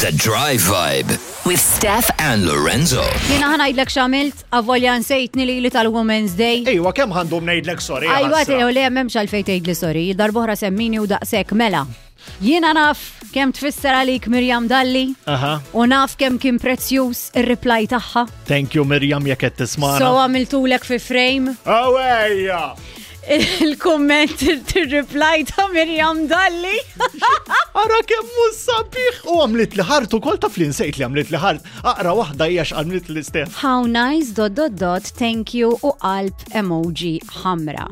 The Drive Vibe With Steph and Lorenzo. Jiena ħa ngħidlek x'għamilt, avolja nsejtni lili tal-Women's Day. Ejwa, kemm għandhom ngħidlek sorry. Ajwa, ħasra. tew le m'hemmx għalfejn tgħidli sorry, darbohra semmini u daqshekk mela. Jiena naf kemm tfisser għalik Mirjam Dalli Aha. u naf kemm kien prezzjuż ir-reply tagħha. Thank you Mirjam jekk qed tismana. So għamiltulek fi frame Awejja! il-komment il-reply ta' Mirjam Dalli. Ara kemm hu sabiħ u għamlit li ħart ukoll taf li nsejt li għamlit li ħart. Aqra waħda hija x'għamlit li Steph. How nice dot dot dot thank you u qalb emoji ħamra.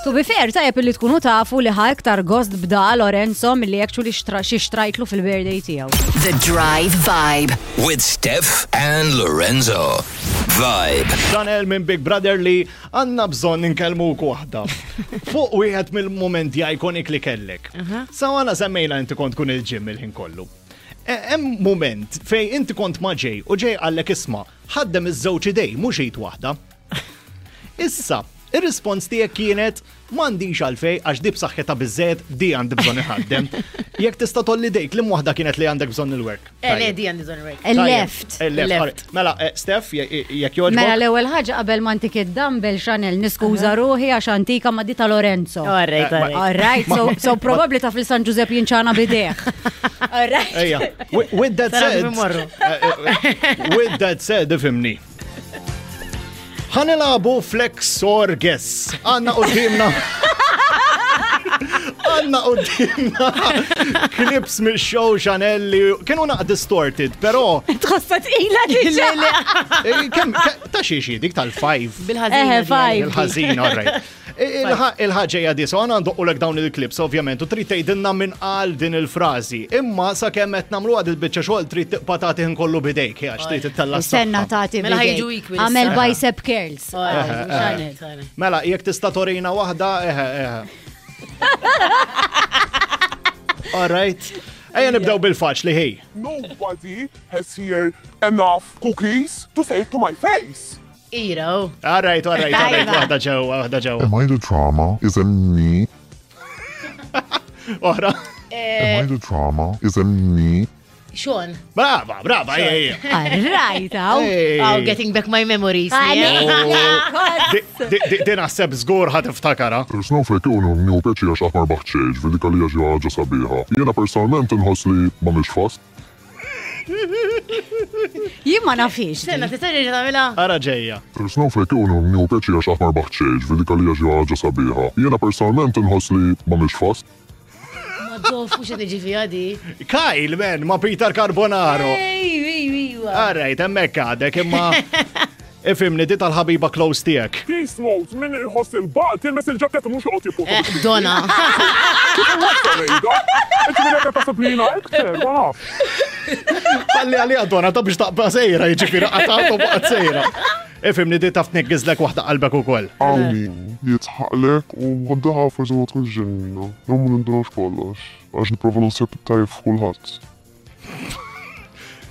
To be fair, tajjeb li tkunu tafu li ħa iktar gost bda Lorenzo milli actually xtra- xi xtrajtlu fil-birthday tiegħu. The Drive Vibe. With Steph and Lorenzo. Vibe. Chanel minn Big Brother li għandna bżonn inkellmuk waħda. Fuq wieħed mill-momenti iconic li kellek. Sawana semmejna inti kont kun il-ġim il-ħin kollu. E- Hemm moment fej inti kont ma' ġej u ġej għallek isma' ħaddem iż-żewġ idej mhux id waħda. Issa, ir-rispons tiegħek kienet m'għandix għalfej għax di b'saħħitha biżżejjed di għandi bżonn iħaddem. Jekk tista' tolli dejk li waħda kienet li għandek bżonn il-work. Eh, le, di għandi bżonn work. Il-left. Il-left. Left. alright. Mela, eh, Steph, je- jekk jogħġbok. Mela l-ewwel ħaġa qabel ma ntik id-dumbbell Chanel niskuża ruħi għax antika ma di ta' Lorenzo. All right, all right. All right, so, so probably taf li San Giuseppe jinċana bideħ. All right. Ejja, wi- with that Sara said, kif imorru. eh, eh, with that said, ifimni. Ħanilabu flex or guess. Għanna qoddimna. Għanna qoddimna clips mill show Chanel li kienu naq distorted, pero Tħossa tqila diġà. eh, kemm ke- ta' xi xi dik tal-five. Bil-ħażina. Eh, di five. Il-ħażin, all right. Il-ħaġa hija di, so għana ndoqqulek dawn il-clips, ovvjament, u trid tgħidilna minn qal din il-frażi. Imma sakemm qed nagħmlu għad il-biċċa xogħol trid tibqa' tagħti kollu bidejk, għax trid ittella Senna s-saħħa. tagħti Mela bidejk. ħajġu equal Għamel issa. bicep curls. All right, Chanel, Chanel. Mela, jekk tista' torina waħda, eħe, eħe. All right. Ejja nibdew bil-faċli ħej. Nobody has here enough cookies to say to my face. Ira, oh. All right, all right, all right, Tajba. waħda ġewwa, waħda ġewwa. Am I the drama? Is it me? Oħra. Am I the drama? Is it me? Sean. Brava, brava, ejja, ejja. All right, aw. Ej. Oh, getting back my memories. yeah. Di- di- di- Din naħseb żgur ħa tiftakara. Snowflake unu nieħu pjaċir għax aħmar baħċeġ, ġifieri dik għalija xi ħaġa sabiħa. Jiena personalment inħoss li m'għamilx fast. Jien ma nafix. Senna, tista' terġa' tagħmilha? Ara ġejja. Snowflake unu nieħu pjaċir għax aħmar baħċeġ, ġifieri dik għalija xi ħaġa sabiħa. Jiena personalment inħoss li m'għamilx fast. Ma dof, mhux qed niġi fiha di. Kyle, man, ma Peter Carbonaro. Ej, ej, ej. All right, hemmhekk għadek, imma ifimni di tal-ħabiba close tiegħek. Peace note, min iħoss il-baqt, tilmes il-ġaketta mhux joqgħod jipposta. Eh, Donna. Għalli għalli għadona ta' biex taqba sejra, jiġifieri qatgħat u baqgħet sejra. Ifimni di taf tniggizlek waħda qalbek ukoll. Għawni, jitħaqlek u għaddaħa forsi ma tkunx ġenwina. Jew ma nindunax kollox, għax nipprova naħseb tajjeb f'kulħadd.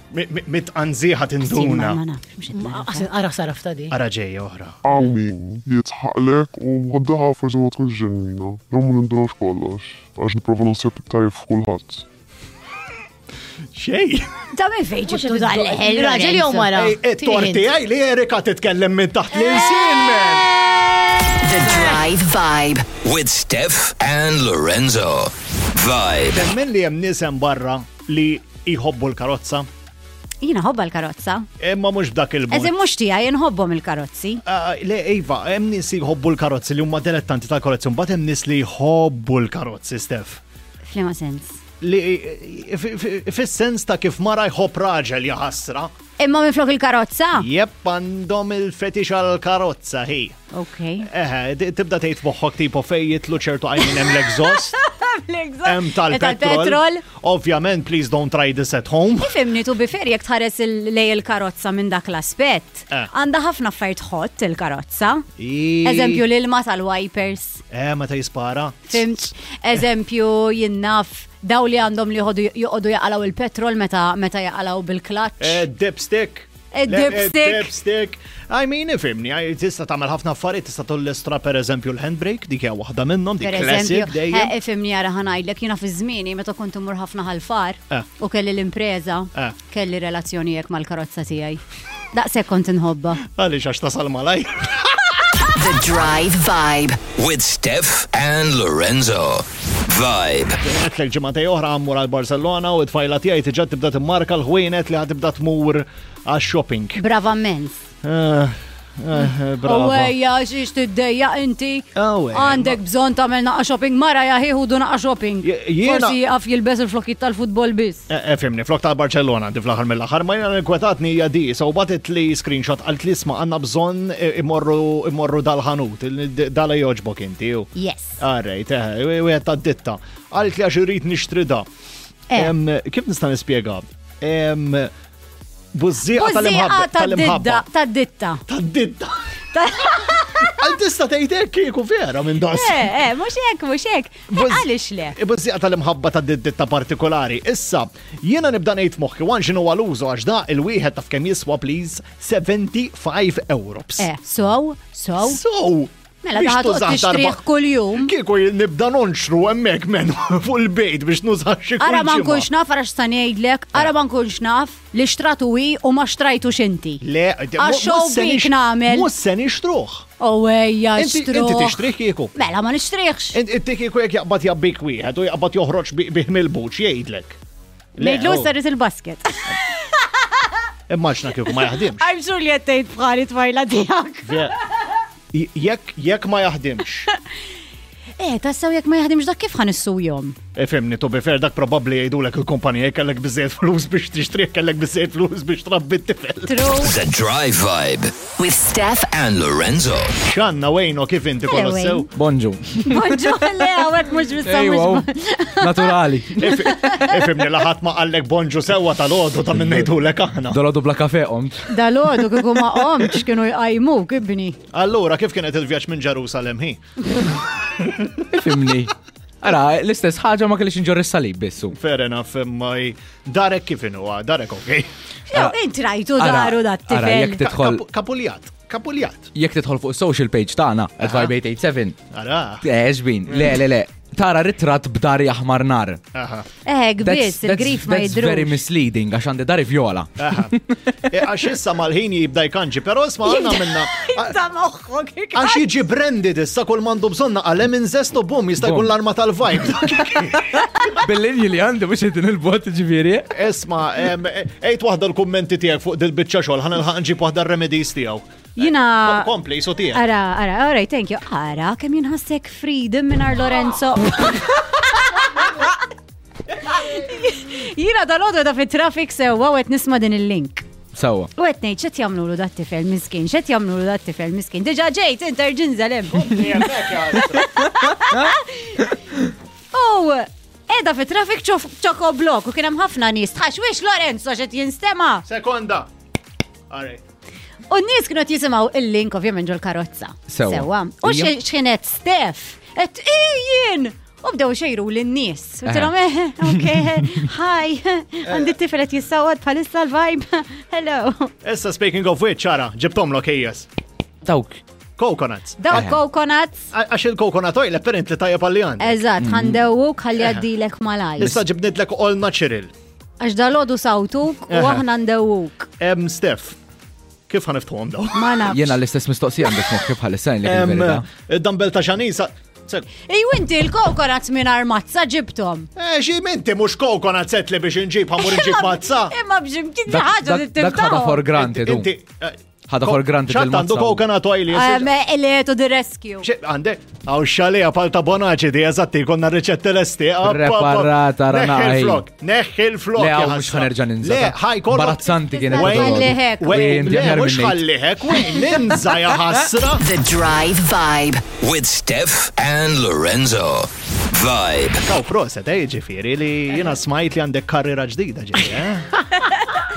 Mit-anżiħa tinduna. Ma nafx, mhux qed nagħraf. Ara saraf ta' di. Ara ġejja oħra. Għawni, jitħaqlek u għaddaħa forsi ma tkunx ġenwina. Jew ma nindunax kollox, għax nipprova naħseb tajjeb f'kulħadd. Xej. Ta' minn fejn ġibtu dal-leħel. Raġel jew mara? It-torti għaj li Erika titkellem minn taħt l-insin, man. The Drive Vibe. With Steph and Lorenzo. Vibe. Temmen li hemm nies hemm barra li jħobbu l-karozza, Jiena ħobba l-karozza. imma mhux b'dak il-mod. Eżin mhux tiegħi nħobbhom il-karozzi. Ah, Le, Iva, hemm nies li jħobbu l-karozzi li huma dilettanti tal-karozzi, mbagħad hemm nies li jħobbu l-karozzi, Steph. F'liema sens. Li fi- fi- fis-sens ta' kif mara jħobb raġel jaħasra. Imma minn flok il-karozza? Jep għandhom il-fetix għal-karozza, hi. Ok. Eħe, di- tibda tgħid moħħok tipo fej jitlu ċertu għajmin hemm l-exhaust, hemm tal-petrol. Tal-petrol. Ovvjament, please don't try this at home. Ifimni tu bifer jekk tħares il- lej il-karozza minn dak l-aspett. Eh. Għandha ħafna affarijiet ħott il-karozza. I- Eżempju l-ilma tal-wipers. Eh, meta jispara. Fimt? Eżempju jinnaf daw li għandhom li joqogħdu joqogħdu jaqalaw il-petrol meta meta jaqalaw bil-klaċ. Eh, dipstick. Dipstick. Dipstick. I mean, ifimni, tista' tagħmel ħafna affarijiet, tista' tollistra per eżempju l-handbrake, dik hija waħda minnhom, dik classic dejjem. Eh, ifimni ara ħanajdlek, jiena fi żmieni meta kont immur ħafna ħalfar eh. u kelli l-impreża, eh. kelli relazzjoni hekk mal-karozza tiegħi. Daqshekk kont inħobba. Għaliex għax tasal malaj. The Drive Vibe. With Steph and Lorenzo. Vibe. Għetlek ġimgħatej oħra għammur għal Barcelona u t-tfajla tiegħi tiġa tibda timmarka l-ħwienet li ħatibda tmur għax-shopping. Brava mens. Eh, eh, brava. U ejja, xiex tiddejja inti. Oh, Għandek bżon tagħmel naqa shopping, mara jaħi du naqa shopping. Forsi jaqaf jilbes il-flokkiet tal-futbol biss. Eh, fimni, flok tal-Barcellona għandi fl-aħħar mill-aħħar, ma jena nkwetatni hija di, so batet li screenshot għalt li isma' għandna bżonn imorru dal-ħanut, dala joġbok inti. Yes. Alright, wieħed tad-ditta. Għalt li għax irrid nixtri da. Kif nista' nispjega? Bużżieqa tal-imħabba. Tad-ditta. Tad-ditta. Tad-ditta. Għal tista' tgħid hekk kieku vera minn das. Eh, eh, mhux hekk, mhux hekk. Eh, għaliex le? Bużżieqa tal-imħabba tad-ditta partikolari. Issa, jiena nibda ngħid moħħi wan x'inhu għal-użu għax da il-wieħed taf kemm jiswa please 75 euros. Eh, so, so. So, Mela daħat toqgħod tixtrih kuljum. Kieku nibda nonxru hemmhekk men fuq il-bejt biex nuża xi Ara ma nkunx naf ara x'sa ngħidlek, ara ma nkunx naf li xtratu hi u ma xtrajtux inti. Le, għax bik nagħmel. Mhux se nixtruh. Oh ejja, xtruh. Inti tixtrih kieku. Mela ma nixtrihx. Inti kieku jekk jaqbad jabbik wieħed u jaqbad joħroġ bih mill-buċ jgħidlek. Ngħidlu saret il-basket. Immaġna kieku ma jaħdimx. I'm sure li qed tgħid bħali tfajla tiegħek. Jekk jekk ma jaħdimx. Eh, tassew jekk ma jaħdimx dak kif ħan jom? Ifimni, to be fair, dak probabbli jgħidulek il-kumpanija kellek biżejjed flus biex tixtrih, kellek biżejjed flus biex trabbi t-tifel. True. The Drive Vibe. With Steph and Lorenzo. Xanna Wayno kif inti Hello, kollox sew? Bonġu. Bonġu, le, għawek mux Ejwa, naturali. Ifimni laħat ma qallek bonġu sewwa tal-għodu ta' minn ngħidulek aħna. Dolodu bla kafe qomt. Dalodu kiku ma qomtx kienu jqajmuk, ibni. Allura, kif kienet il-vjaġġ minn Ġerusalem hi? Ifimni. Ara, l-istess ħaġa ma kellix inġorr is-salib bissu. Fair enough, imma darek kif inhu, darek okej. Jew int rajtu daru dat Ara, tifel. jekk tidħol Kapuljat, kapuljat. Jekk tidħol fuq social page tagħna at Vibe 887. Ara. Eh, xbin, le, le, le. Tara ritratt b'dari aħmar nar. Aha. Eh, biss, il-grif ma That's very jidrux. misleading għax għandi dari vjola. Aha. E, Għax issa mal-ħin jibda jkanġi, pero isma għanna minna. Ta' moħħok. Għax jiġi branded issa kull mandu bżonna għal lemon zest u bum jista' jkun Bum. l-arma tal-vibe. Bil-linji li għandi mhux qed il-bot ġifieri. Isma, ejt waħda l-kummenti tiegħek fuq dil-biċċa xogħol, ħa nilħaq nġib waħda r-remedies tiegħu. Jina. Kompli, so tiegħek. Ara, ara, all right, thank you. Ara, kemm jinħassek freedom minn Lorenzo. Jina dal-għodu da fit-traffic sewa u qed nisma' din il-link. Sawa. U qed ngħid x'qed jagħmlulu dat tifel miskin, x'qed jagħmlulu dat tifel miskin. Diġà ġejt interġinżel hemm. U edha fit-traffic ċoko blok u kien hemm ħafna nies. Tħax wix Lorenzo x'qed jinstema'. Sekonda. All right. U n-nies kienu qed jisimgħu il-link ovvjament ġol karozza. Sewwa. U Ija. x'kienet Steph, qed ijien! U bdew xejru lin-nies. Qilhom eh, ok, hi, għandi t-tifel qed jissawad bħalissa l-vibe. Hello. Issa speaking of which, ara, ġibtomlok ejjes. Dawk. Coconuts. Daw coconuts. Għax il-coconut oil apparently tajjeb għalli għandi. Eżatt, ħandewuk ħalli għaddilek malaj. Issa ġibnitlek all natural. Għax dalodu sawtuk u Eħe. aħna ndewuk. Em, Steph, kif ħaniftħuhom daw? Ma nafx. Jena l-istess mistoqsija għandek moħħi bħalissa li Em, il-verità. Dumbbell ta' xanisa. Ej, inti il-coconuts minn armazza ġibtom. Eh, xi minti mhux coconut set li biex inġib ħamur inġib mazza. Imma bġimkien Dak- ħaġa li Dak ħada for granted. Inti. u. Ħada for granted ċatt għandu il-mazza. coconut oil. Ele to the rescue. Għandek, għaw xalija palta bonaċi di eżatti konna riċette l-esti. Preparata, Neħħi ranaj. il-flok, neħħi il-flok. Le, ja għaw mux ħasra. ħanerġa ninża. Le, ħaj kollok. Barazzanti kienet. Wayne, Ħalliħek. Wayne, Wayne, le, aħjar mux minn ngħid. ħalliħek, Wayne, ninża ja ħasra. The Drive Vibe. With Steph and Lorenzo. Vibe. Kaw proset, eh, ġifiri, li jina smajt li għandek karriera ġdida ġifiri, eh?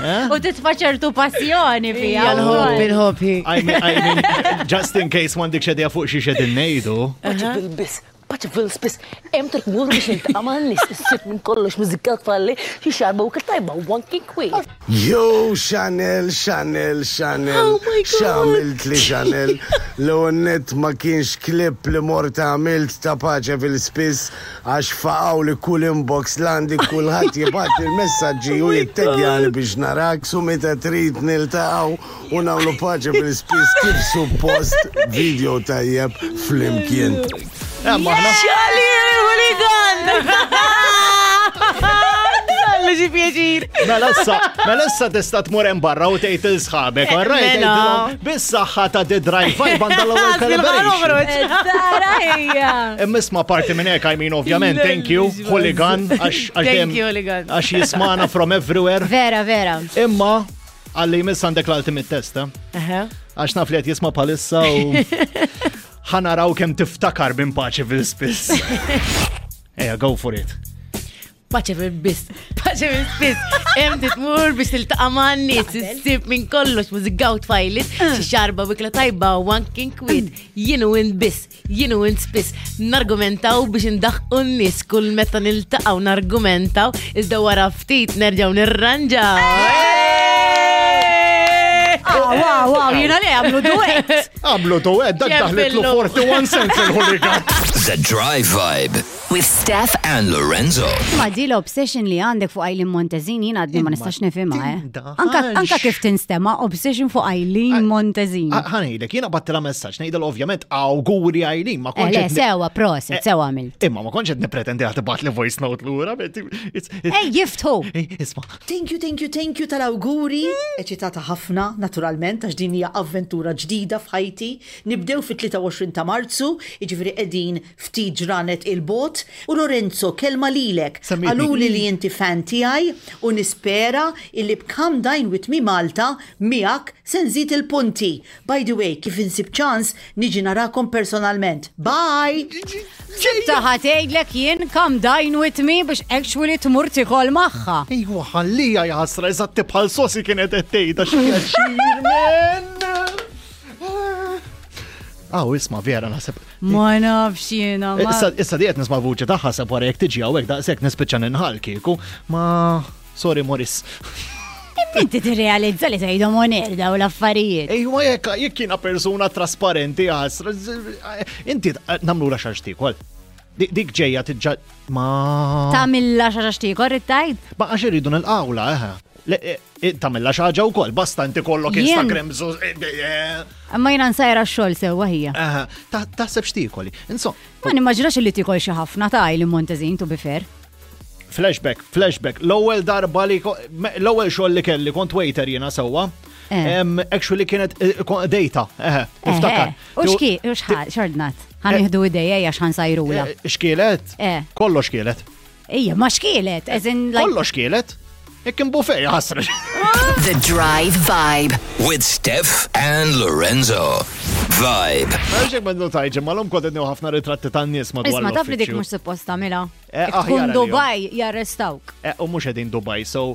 U titfa ċertu passjoni fija. L-ħobb, il-ħobb, hi. I mean, I mean, just in case m'għandek xedija fuq xi xedin nejdu. Bil-bis, Paċeville spiss hemm trid tmur biex niltaqa' man-nies, issib minn kollox mużika tfalli, xi xarba u ikel tajba u anki kwiet. Yo Chanel, Chanel, Chanel, Oh my God. x'għamiltli Chanel? L-ewwel nett ma kienx clip li mort għamilt ta' Paċeville spiss għax faqgħuli kull inbox l-għandi kulħadd jibgħatli l-messaġġi u jitteggjani biex narak su meta trid niltaqgħu u nagħmlu Paċeville spiss kif suppost video tajjeb flimkien. Xali il-hooligan! Allu xi pjaċir. Mela issa, mela issa tista' tmur hemm barra u tgħid il sħabek, all right? Mela. Tgħidilhom, Bis-saħħa ta' The Drive Vibe għandha l-ewwel calibration. Tara hija. Imma isma' parti minn hekk, I mean, ovvjament, thank you, hooligan, għax għax Thank dejjem- you, hooligan. Għax jismana from everywhere. Vera, vera. Imma għalli jmiss għandek l-ultimate test, eh? Għax naf li qed jisma' bħalissa u ħanaraw kemm tiftakar minn paċi fil-spiss. Ejja, go for it. Paċeville biss, Paċeville spiss. Hemm titmur biex tiltaqa' man-nies, issib minn kollox mużika u tfajlit, xi xarba bikla tajba u anki nkwiet. Jien u int biss, jien u int spiss, nargumentaw biex indaħqu n-nies kull meta niltaqgħu nargumentaw, iżda wara ftit nerġgħu nirranġaw. Ah, wow, wow, jiena li għamlu duet. Għamlu duet, dak daħlitlu 41 cents il-hooligan. The Drive Vibe With Steph and Lorenzo. Ma di l-obsession li għandek fuq Eileen Montezin jien għadni ma nistax nifhimha, eh. Anka, anka kif tinstema obsession fuq Eileen Montezin. Ħanejlek, jiena battila messaġġ, ngħidel ovvjament awguri Eileen, ma Eh, kontx le, qed ni- sewa, proset, sewa għamilt. Imma ma kontx qed nipretendi għad tibgħat li voice note lura. but Ej, jiftħu! Isma. Thank you, thank you, thank you tal-awguri. Eċitata ħafna, naturalment, għax din hija avventura ġdida f'ħajti. Nibdew fit-23 ta' Marzu, jiġifieri qegħdin ftit ġranet il-bot. U Lorenzo, kelma lilek. Semmitni. Qaluli li inti fan tiegħi u nispera illi b'Come Dine With Me Malta miegħek se nżid il-punti. By the way, kif insib ċans niġi narakom personalment. Bye! Taħa tgħidlek jien come dine with me biex actually tmur tikol magħha. Ejwa ħallija jaħasra eżatt bħal sosi kienet qed tgħidha xi pjaċir men. Aw, isma' vera naħseb. Ma nafx jiena. ma- Issa issa di qed nisma' vuċi tagħha seb wara jekk tiġi hawnhekk daqshekk nispiċċa ninħal kieku. Ma sorry Morris. Inti tirrealizza li tgħidhom on air daw l-affarijiet. Ejwa jekk jekk jiena persuna trasparenti jaħasra. Inti nagħmlu la xarx tikol. Dik ġejja tiġġa ma. Tamilla xi ħaġa xtikor it-tajt? Ma għax irridu nil-qawla, eħe. Le, Tamilla xi ħaġa wkoll, basta inti kollok Jien- Instagram. Imma jiena nsajra x-xogħol sewwa hija. Eħe, taħseb x'tiekoli. Insomma, Ma nimmaġinax li tikol xi ħafna ta' Eileen Montezin to be fair. flashback, flashback. L-ewwel darba li l-ewwel xogħol li kelli kont waiter jiena sewwa. Eh. Actually kienet data, eħe, niftakar. U xki, u xħal, xordnat. Ħan nieħdu idejja għax ħan sajrula. Xkielet? Eh. Kollox kielet. Ija, ma xkielet, as in like. Kollox kielet. Jekk kien buffet jaħasra. The Drive Vibe. With Steph and Lorenzo. Vibe. Għaxek ma notajġi, ma l-om kont qed ħafna ritratti tan-nies madwar Isma taf li dik l-uffiċċju. mhux suppost tagħmilha. Eh, Jekk tkun aħjar għalihom. Dubai jarrestawk. Eh, U mhux qegħdin Dubai, so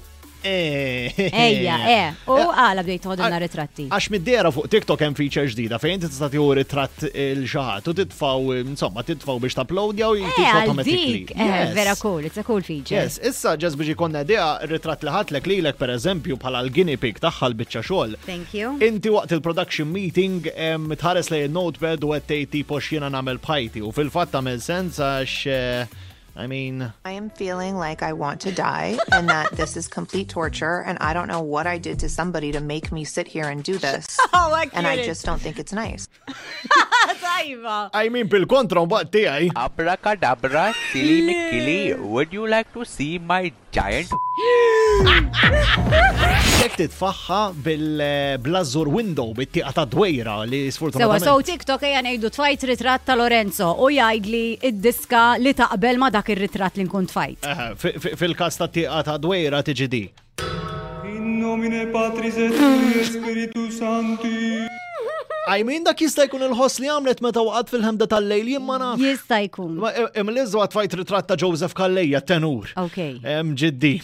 Eh. Ejja, eh. U għala bdejt toħodilna ritratti. Għax mid-dera fuq TikTok hemm feature ġdida fejn inti tista' tieħu ritratt il xi ħadd u titfgħu insomma titfgħu biex tapplowdja u Eh, jtik għal automatically. dik. Eh, vera cool, it's a cool feature. Yes, issa ġas biex ikonna idea ritratt li ħatlek lilek pereżempju bħala l-guinea pig tagħha l-biċċa xogħol. Thank you. Inti waqt il-production meeting tħares lejn il-notepad u qed tgħid tipo x'jiena nagħmel bħajti u fil-fatt tagħmel sens għax I mean, I am feeling like I want to die and that this is complete torture and I don't know what I did to somebody to make me sit here and do this. Oh, I and I get it. just don't think it's nice. Tajba. I mean bil-kontra mbagħad tiegħi. Abracadabra, silly McKilly, would you like to see my giant Jekk titfaħħa bil-blazzur window bit-tieqa ta' dwejra li Sewa, sfortunatament. so TikTok ejja ngħidu tfajt ritratt ta' Lorenzo u jgħidli id-diska li taqbel ma dak ir-ritratt li nkun tfajt. Eħe, Fil-każ ta' tieqa ta' dwejra tiġi di. In nomine Patris et Filii et Spiritus Sancti. I mean dak jista' jkun il-ħoss li għamlet meta waqgħet fil-ħemda tal-lejl jien ma nafx. Jista' jkun. Ma Imlizzu għat tfajt ritratt ta' Joseph Calleja tenur. Ok. Em ġiddi.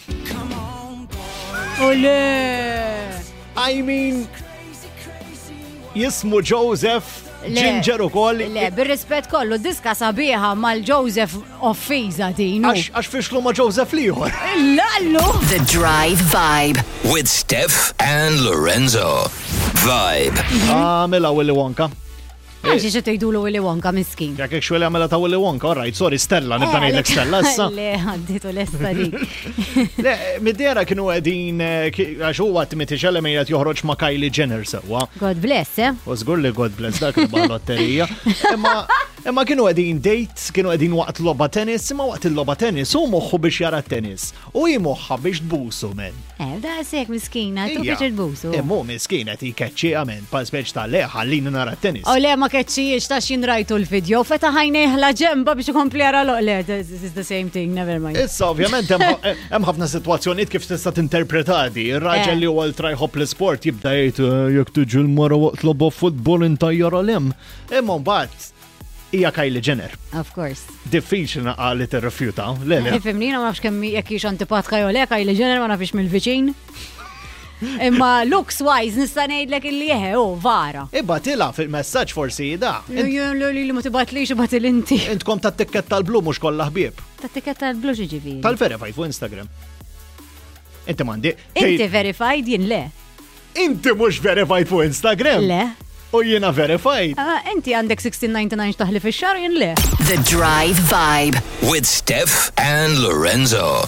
Ole! I mean jismu Joseph. Ginger ukoll. Le, bir-rispett kollu, diska sabiħa mal-Joseph offiża din. Għax fixlu ma' Joseph liħor. Lallu! The Drive Vibe. With Steph and Lorenzo. Vibe. Għamela Willy Wonka. Għax xi tgħidulu Willy Wonka miskin. Jekk hekk xweli għamela ta' Willy Wonka, all right, sorry, Stella, nibda ngħidlek Stella issa. Le, għadditu lesta dik. Le, mid-dera kienu qegħdin għax huwa Timothy Chalamet qed joħroġ ma' Kylie Jenner sewwa. God bless, eh? U żgur li God bless dak li lotterija. Imma imma kienu qegħdin date, kienu qegħdin waqt logħba tennis, imma waqt il-logħba tennis hu moħħu biex jara t-tennis u hi moħħha biex tbusu men. Eh, da sek miskina, tu biex tbusu. Imma hu miskin qed jkeċċi men, pa speċ ta' le ħallini nara t-tennis. O le ma keċċijiex ta' xin rajtu l-video, feta ħajnejh la ġemba biex ikompli jara l Le, this is the same thing, never mind. Issa ovvjament hemm ħafna sitwazzjonijiet kif tista' tinterpreta di. Ir-raġel li huwa ultra jħobb l-isport jibda jgħid jekk tiġi l-mara waqt logħba futbol intajjar għal hemm. Imma mbagħad hija Kylie Jenner. Of course. Diffiċli naqa' li tirrifjuta. Le, le. Ifhimni, jiena ma nafx kemm jekk hix antipatka jew le, Kylie Jenner ma nafx mill-viċin. Imma looks wise nista' ngħidlek illi eħe, oh, vara. Ibgħatilha fil-messaġġ forsi da. Li li ma tibgħatlix ibgħatil inti. Intkom tat-tikketta tal-blu mhux kollha ħbieb. Tat-tikketta tal-blu x'jiġifieri? Tal-verified fuq Instagram. Inti m'għandi. Inti verified jien le. Inti mhux verified fuq Instagram? Le. U jiena verified. Ah, inti għandek 16.99 taħli fix-xahar jien le. The Drive Vibe. With Steph and Lorenzo.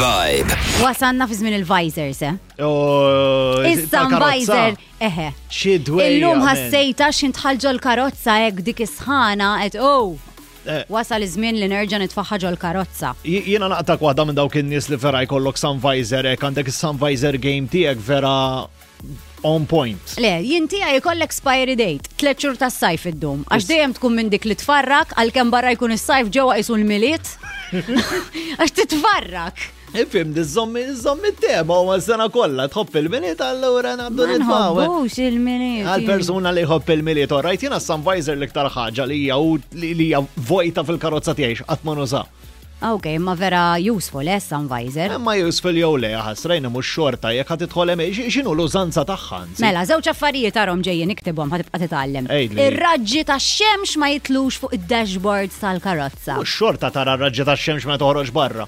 Vibe. Wasanna fi żmien il-visors, eh? Oh, Issa visor, eħe. Xi dwejja. Illum man. ħassejta x'intħal ġol-karozza hekk dik is-sħana qed oh. Wasal iż-żmien li nerġa' nitfaħħa ġol-karozza. Jiena naqtak waħda minn dawk in-nies li vera jkollok sun visor hekk għandek is-sun visor game tiegħek vera on point. Le, jien tiegħi jkollek expiry date, tliet xhur tas-sajf iddum. Għax dejjem tkun minn dik li tfarrak għalkemm barra jkun is-sajf ġewwa qisu l-Milied. Għax titfarrak. Ifhem, iżżomm iżżomm it-tema u s-sena kollha tħobb il-Milied allura ngħaddu Ma nitfgħu. eh. nħobbux il-Milied. Għal persuna li jħobb il-Milied, all right, jiena s-sun visor l-iktar ħaġa li hija u li hija vojta fil-karozza tiegħi x'qatt ma nuża. Ok, ma vera useful, eh, sun visor. Imma useful jew le, ħasra jiena mhux xorta jekk ħa tidħol hemm, x'inhu l-użanza tagħha anzi? Mela, żewġ affarijiet arhom ġejjin iktibhom ħa tibqa' titgħallem. Għidli. Ir-raġġi tax-xemx ma jitlux fuq id-dashboard tal-karozza. Mhux xorta tara r-raġġi tax-xemx meta toħroġ barra.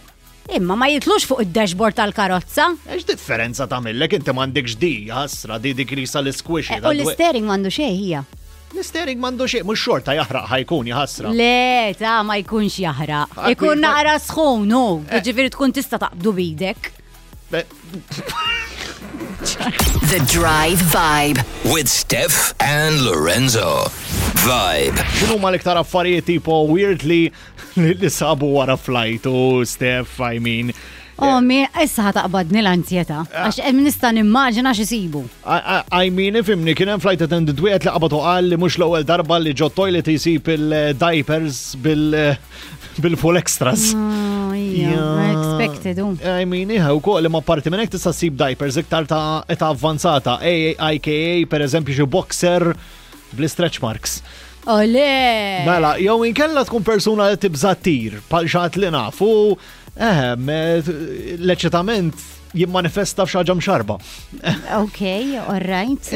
Imma ma jitlux fuq id-dashboard tal-karozza. Ex differenza tagħmillek inti m'għandekx di, ħasra di dik li sa l-squishy. Eh, U l-steering m'għandu xejn hija. L-steering m'għandu xejn, mhux xorta jaħraq ħajkun jaħasra. Le, ta' ma jkunx jaħraq. Ikun naqra sħun, hu. Ġifieri tkun tista' taqbdu bidek. The Drive Vibe. With Steph and Lorenzo. Vibe. X'inhu ma l-iktar affarijiet tipo weird li li sabu wara flight u Steph, I mean. Oh, mi, issa ħataqbadni l-anzjetà. Għax hemm nista' nimmaġina x'isibu. I mean, ifimni, kien hemm flight attendant wieħed li qabad u qal li mhux l-ewwel darba li ġo toilet jsib il-diapers bil-full extras. Oh, ija, expected, u. I mean, iħa, u koll, imma parti minn hekk tista' ssib diapers iktar ta' età avvanzata, AIKA, per eżempju, xi boxer bl-stretch marks. Ole! Mela, jew inkella tkun persuna li tibża' ttir, bħal xi ħadd li nafu, ehem, l-eċitament jimmanifesta f'xi ħaġa mxarba. Ok, all right.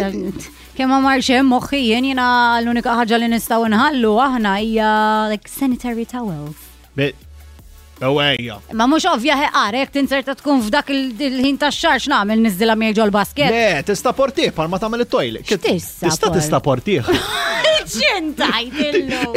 Kemm ma marx hemm moħħi jien jiena l-unika ħaġa li nistgħu nħallu aħna hija like sanitary towels. Ewwejja. Ma mhux ovvja ħeqar, jekk tinserta tkun f'dak il-ħin tax-xahar x'nagħmel niżdilha miegħi ġol-basket. Le, tista' portih bħal ma tagħmel it-toilet. X'tista' Tista' tista' portih. X'intajt illum?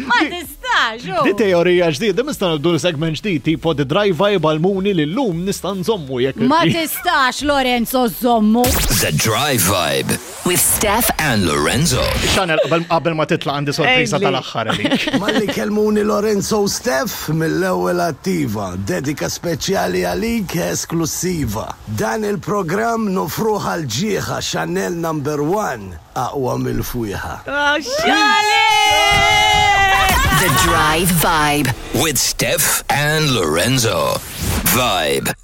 Ma tistax, Di teorija ġdida, nista' nibdu segment ġdid tipo the drive vibe għal-muni li llum nista' nżommu jekk. Ma tistax Lorenzo żommu. The Drive Vibe. With Steph and Lorenzo. Chanel, qabel ma titlaq għandi sorpriża Ejli. tal-aħħar għalik. Malli kelmuni Lorenzo u Steph mill-ewwel attiva, dedika speċjali għalik esklusiva. Dan il-programm nofruħ għal ġieħa Chanel number 1 aqwa mill-fwieħa. The Drive Vibe. With Steph and Lorenzo. Vibe.